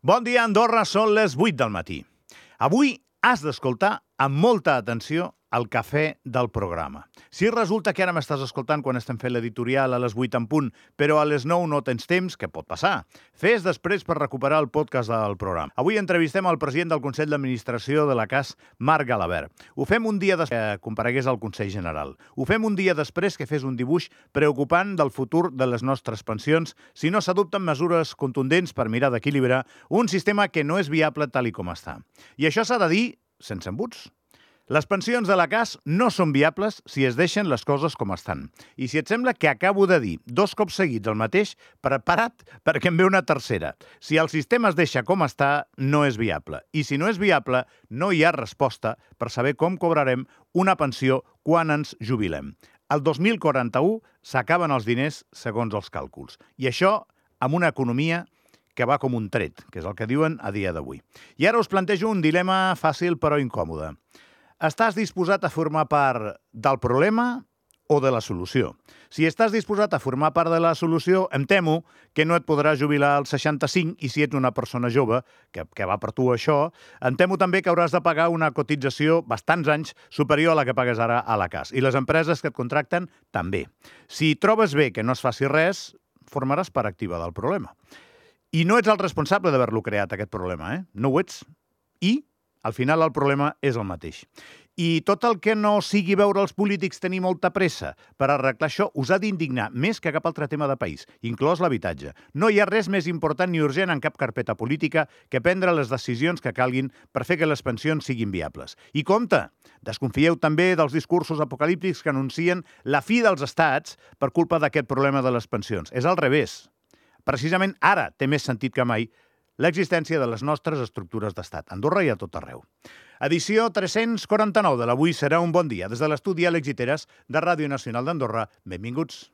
Bon dia, Andorra, són les 8 del matí. Avui has d'escoltar amb molta atenció el cafè del programa. Si resulta que ara m'estàs escoltant quan estem fent l'editorial a les 8 en punt, però a les 9 no tens temps, què pot passar? Fes després per recuperar el podcast del programa. Avui entrevistem el president del Consell d'Administració de la CAS, Marc Galabert. Ho fem un dia després que comparegués al Consell General. Ho fem un dia després que fes un dibuix preocupant del futur de les nostres pensions si no s'adopten mesures contundents per mirar d'equilibrar un sistema que no és viable tal i com està. I això s'ha de dir sense embuts. Les pensions de la CAS no són viables si es deixen les coses com estan. I si et sembla que acabo de dir 2 cops seguits el mateix, prepara't perquè em ve una tercera. Si el sistema es deixa com està, no és viable. I si no és viable, no hi ha resposta per saber com cobrarem una pensió quan ens jubilem. El 2041 s'acaben els diners segons els càlculs. I això amb una economia que va com un tret, que és el que diuen a dia d'avui. I ara us plantejo un dilema fàcil però incòmode. Estàs disposat a formar part del problema o de la solució? Si estàs disposat a formar part de la solució, em temo que no et podràs jubilar als 65 i si ets una persona jove, que va per tu això, em temo també que hauràs de pagar una cotització bastants anys superior a la que pagues ara a la CAS. I les empreses que et contracten també. Si trobes bé que no es faci res, formaràs part activa del problema. I no ets el responsable d'haver-lo creat, aquest problema, No ho ets. I al final el problema és el mateix. I tot el que no sigui veure els polítics tenir molta pressa per arreglar això us ha d'indignar més que cap altre tema de país, inclòs l'habitatge. No hi ha res més important ni urgent en cap carpeta política que prendre les decisions que calguin per fer que les pensions siguin viables. I compte, desconfieu també dels discursos apocalíptics que anuncien la fi dels estats per culpa d'aquest problema de les pensions. És al revés. Precisament ara té més sentit que mai l'existència de les nostres estructures d'estat, a Andorra i a tot arreu. Edició 349 de l'Avui serà un bon dia. Des de l'estudi Àlex Giteres de Ràdio Nacional d'Andorra, benvinguts.